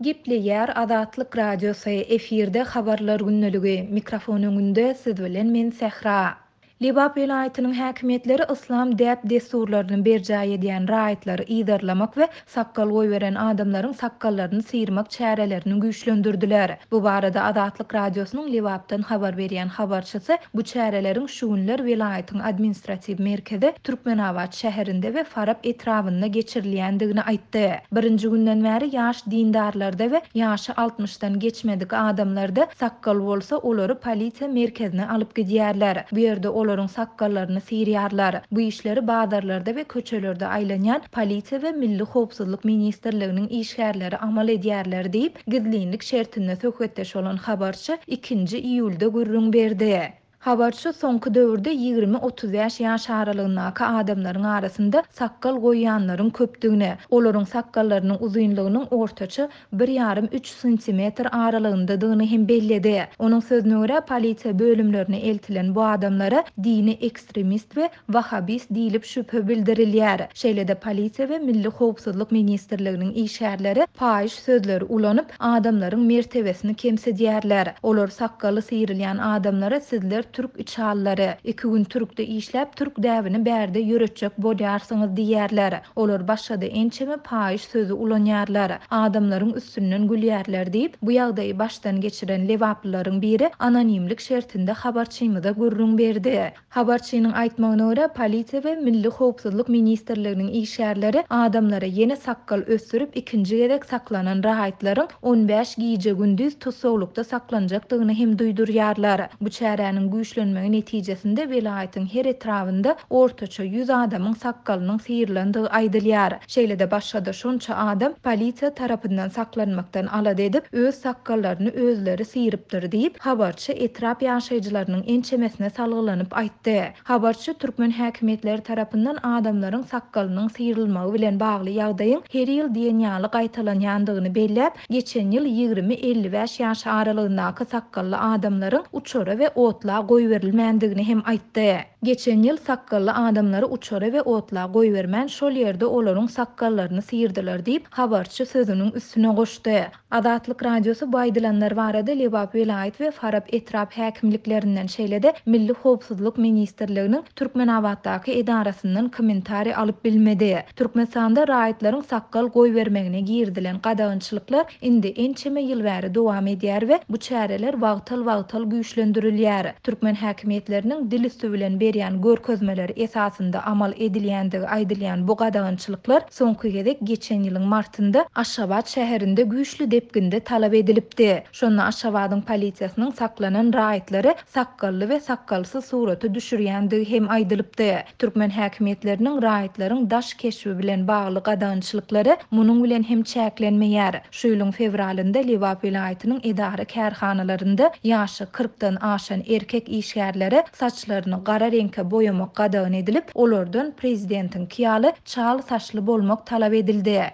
Gepleýär Azatlyk Radiosy, efirde Habarlar gündeligi, mikrofon öňünde siz bilen men Sähra. Lebap welaýatynyň häkimiýetleri yslam däp-dessurlaryny berjaý edýän raýatlary yzarlamak we sakgal goýberen adamlaryň sakgallaryny syrmak çärelerini güýçlendirdiler. Bu barada Azatlyk Radiosynyň Lebapdan habar berýän habarçysy bu çäreleriň şu günler welaýatyň administratiw merkezi Türkmenabat şäherinde we Farap etrabynda geçirilýändigini aýtdy. Birinji günden bäri ýaş dindarlarda we ýaşy altmyşdan geçmedik adamlarda sakgal bolsa, olary polisiýa merkezine alyp gidýärler. Bu ýerde olaryň sakgallaryny syrýarlar. Bu işleri bazarlarda we köçelerde aýlanýan polisiýa we Milli howpsuzlyk ministrliginiň işgärleri amal edýärler diýip, gizlinlik şertinde söhbetdeş bolan habarçy ikinji iýulda gürrüň berdi. Habarçy soňky döwürde 20-35 ýaş aralygyndaky adamlaryň arasynda sakgal goýýanlaryň köpdügini, olaryň sakgallarynyň uzynlygynyň ortaça bir ýarym-üç santimetr aralygyndadygyny hem belledi. Onuň sözüne görä, polisiýa bölümlerine eltilen bu adamlara dini ekstremist we Wahabist diýlip şübhe bildirilýär. Şeýle-de polisiýa we Milli howpsuzlyk ministrliginiň işgärleri paýyş sözleri ulanyp, adamlaryň mertebesini kemsidýärler. Olar sakgaly syrylýan adamlara sizler türk içalylary, iki gün türkde işläp türk däbini bärde ýöretjek bolýarsyňyz diýýärler. Olar başga-da ençeme paýyş sözi ulanýarlar. Adamlaryň üstünden gülýärler diýip, bu ýagdaýy başdan geçiren lebaplylaryň biri anonimlik şertinde habarçymyza gürrüň berdi. Habarçynyň aýtmagyna görä, polisiýa we Milli howpsuzlyk ministrliginiň işgärleri adamlara ýene sakgal ösdürip ikinji gezek saklanan raýatlaryň on bäş gije-gündiz tussaglykda saklanjakdygyny hem duýdurýarlar. Bu çäräniň güýçlenmegi netijesinde welaýatyň her etrabynda ortaça ýüz adamyň sakgalynyň syrylandygy aýdylýar. Şeýle-de başga-da şonça adam polisiýa tarapyndan saklanmakdan alada edip, öz sakgallaryny özleri syrypdyr diýip, habarçy etrap ýaşaýjylarynyň ençemesine salgylanyp aýtdy. Habarçy türkmen häkimiýetleri tarapyndan adamlaryň sakgalynyň syrylmagy bilen bagly ýagdaýyň her ýyl diýen ýaly gaýtalanýandygyny belläp, geçen ýyl 20-55 ýaş aralygyndaky sakgally adamlaryň uçara we otla goýberilmändigini hem aýtdy. Geçen ýyl sakgally adamlary uçara we otla goýbermän, şol ýerde olaryň sakgallaryny syrdylar diýip, habarçy sözüniň üstüne goşdy. Azatlyk Radiosy bu aýdylanlar barada Lebap welaýat we Farap etrap häkimliklerinden, şeýle-de Milli howpsuzlyk ministrliginiň Türkmenabatdaky edarasyndan kommentariý alyp bilmedi. Türkmenistanda raýatlaryň sakgal goýbermegine girizilen gadagançylyklar indi ençeme ýyl bäri dowam edýär we bu çäreler wagtal-wagtal güýçlendirilýär. Türkmen häkimiýetleriniň dil üsti bilen berýän görkezmeleri esasynda amal edilýändigi aýdylýan bu gadagançylyklar soňky gezek geçen ýylyň martynda Aşgabat şäherinde güýçli depginde talap edilipdi. Şonda Aşgabadyň polisiýasynyň saklanan raýatlary sakgally we sakgalsyz surata düşürýändigi hem aýdylypdy. Türkmen häkimiýetleriniň raýatlaryň daş keşbi bilen bagly gadagançylyklary munuň bilen hem çäklenmeýär. Şu ýylyň fewralynda Lebap welaýatynyň edara-kärhanalarynda ýaşy kyrkdan aşan erkek işgärlere saçlaryny gara reňke boýamak gadagan edilip, olardan prezidentiňki ýaly çal saçly bolmak talap edildi.